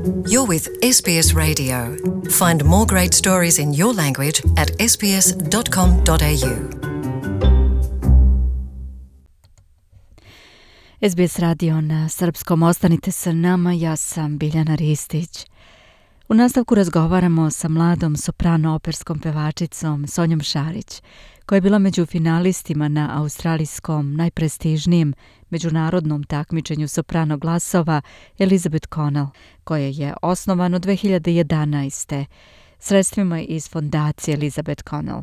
You're with SBS Radio. Find more great stories in your language at sbs.com.au. SBS radio na srpskom. Ostanite sa nama, ja sam Biljana Ristić. U nastavku razgovaramo sa mladom soprano operskom pevačicom Sonjom Šarić, koja je bila među finalistima na australijskom najprestižnijem međunarodnom takmičenju soprano glasova Elizabeth Connell, koje je osnovano 2011. sredstvima iz fondacije Elizabeth Connell,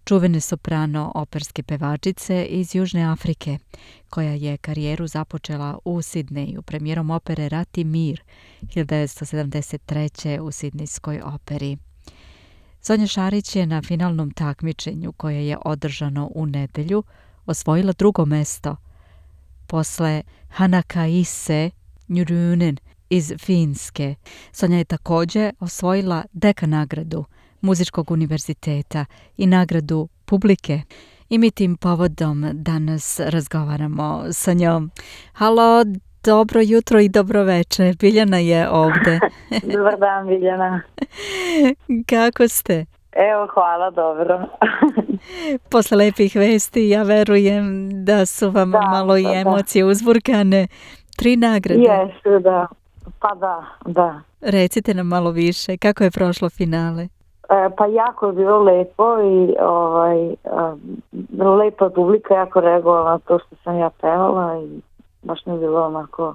čuvene soprano operske pevačice iz Južne Afrike, koja je karijeru započela u Sidneju premijerom opere Rat i mir 1973. u Sidnejskoj operi. Sonja Šarić je na finalnom takmičenju, koje je održano u nedelju, osvojila drugo mesto posle Hanakaise Njurunen iz Finske. Sonja je također osvojila Deka nagradu Muzičkog univerziteta i nagradu publike. I mi tim povodom danas razgovaramo sa njom. Halo, dobro jutro i dobro večer. Biljana je ovdje. Dobar dan, Biljana. Kako ste? Evo, hvala, dobro. Posle lepih vesti, ja verujem da su vam malo i emocije uzburkane. 3 nagrade. Jesu, da. Pa da. Recite nam malo više. Kako je prošlo finale? Pa jako je bilo lepo i lepa publika, jako reagovala na to što sam ja pevala i baš mi je bilo onako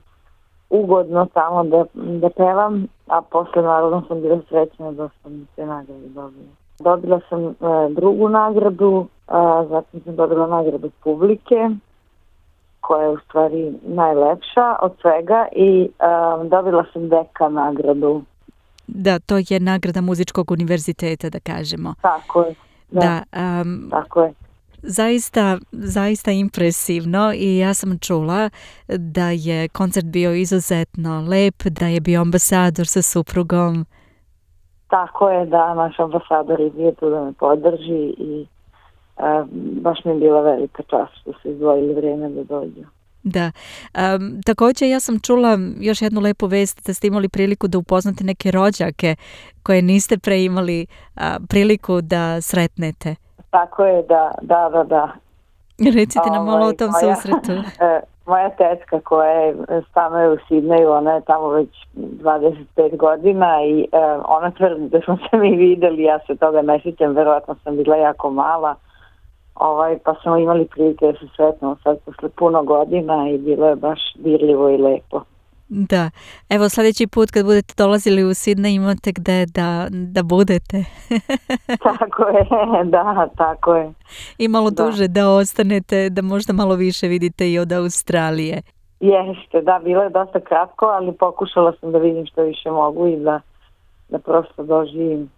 ugodno tamo da pevam, a posle naravno sam bila srećna da sam te nagrade dobila. Dobila sam drugu nagradu, zatim sam dobila nagradu publike, koja je u stvari najlepša od svega, i dobila sam Deka nagradu. Da, to je nagrada Muzičkog univerziteta, da kažemo. Tako je. Da, tako je. Zaista impresivno, i ja sam čula da je koncert bio izuzetno lep, da je bio ambasador sa suprugom. Tako je, da, naš ambasador je bio tu da me podrži i baš mi je bila velika čast što su izdvojili vrijeme da dođu. Da. Također ja sam čula još jednu lepu vest da ste imali priliku da upoznate neke rođake koje niste pre imali priliku da sretnete. Tako je, da. Recite nam malo o tom susretu. Moja tetka koja stanuje u Sidneju, ona je tamo već 25 godina i ona tvrdi da smo se mi videli, ja se toga ne sjećam, verovatno sam bila jako mala, pa smo imali prilike da se sretnemo sad posle puno godina i bilo je baš dirljivo i lepo. Da, evo sljedeći put kad budete dolazili u Sidney imate gde da budete. Tako je, da, tako je. I malo duže da ostanete, da možda malo više vidite i od Australije. Jeste, da, bilo je dosta kratko, ali pokušala sam da vidim što više mogu i da prosto doživim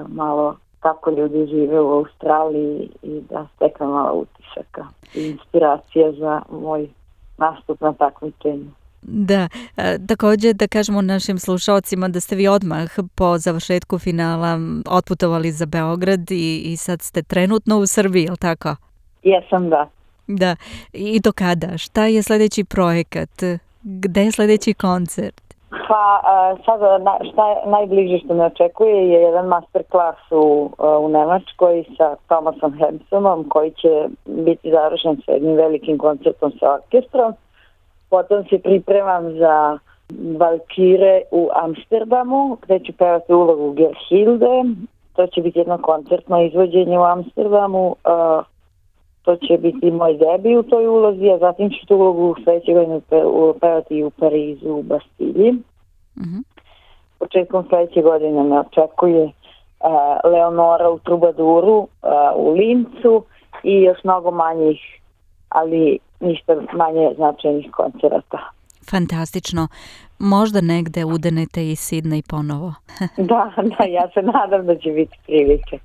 malo kako ljudi žive u Australiji i da steknem malo utisaka i inspiracija za moj nastup na takmičenju. Da, također da kažemo našim slušalcima da ste vi odmah po završetku finala otputovali za Beograd i sad ste trenutno u Srbiji, je li tako? Jesam, da. Da, i do kada? Šta je sljedeći projekat? Gde je sljedeći koncert? Pa sada šta je najbliže što me očekuje je jedan masterclass u Nemačkoj sa Thomasom Hemsonom, koji će biti završen sa jednim velikim koncertom sa orkestrom. Potom se pripremam za Valkire u Amsterdamu, gde ću pevati ulogu Gerhilde. To će biti jedno koncertno izvođenje u Amsterdamu. To će biti moj debi u toj ulozi, a zatim ću tu ulogu sljedeće godine pevati u Parizu, u Bastilji. Mm-hmm. Početkom sljedeće godine me očekuje Leonora u Trubaduru, u Lincu i još mnogo manjih, ali ništa manje značajnih koncerata. Fantastično. Možda negde udenete i Sidney ponovo. Da, ja se nadam da će biti prilike.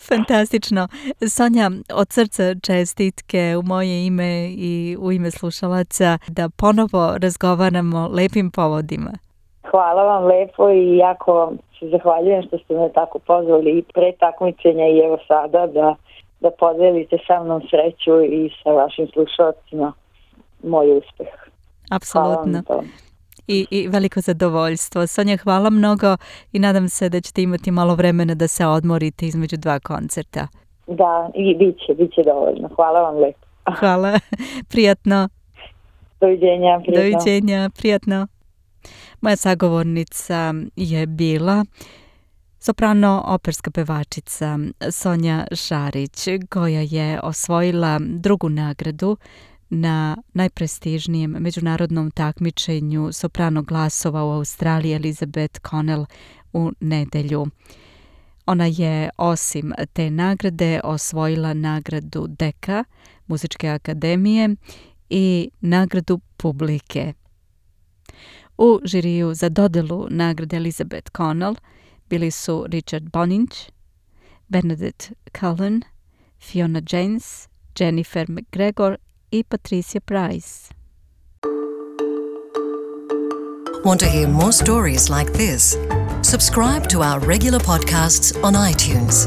Fantastično. Sonja, od srca čestitke u moje ime i u ime slušalaca da ponovo razgovaramo lepim povodima. Hvala vam lepo i jako vam se zahvaljujem što ste me tako pozvali i pre takmičenja i evo sada da podelite sa mnom sreću i sa vašim slušalcima moj uspeh. Apsolutno. i veliko zadovoljstvo. Sonja, hvala mnogo i nadam se da ćete imati malo vremena da se odmorite između 2 koncerta. Da, i bit će dovoljno. Hvala vam lepo. Hvala, prijatno. Doviđenja, prijatno. Doviđenja, prijatno. Moja sagovornica je bila soprano operska pevačica Sonja Šarić, koja je osvojila 2. nagradu na najprestižnijem međunarodnom takmičenju soprano glasova u Australiji Elizabeth Connell u nedelju. Ona je osim te nagrade osvojila nagradu Deka Muzičke akademije i nagradu publike. U žiriju za dodelu nagrade Elizabeth Connell bili su Richard Boninch, Bernadette Cullen, Fiona James, Jennifer McGregor i Patricia Price. Want to hear more stories like this? Subscribe to our regular podcasts on iTunes.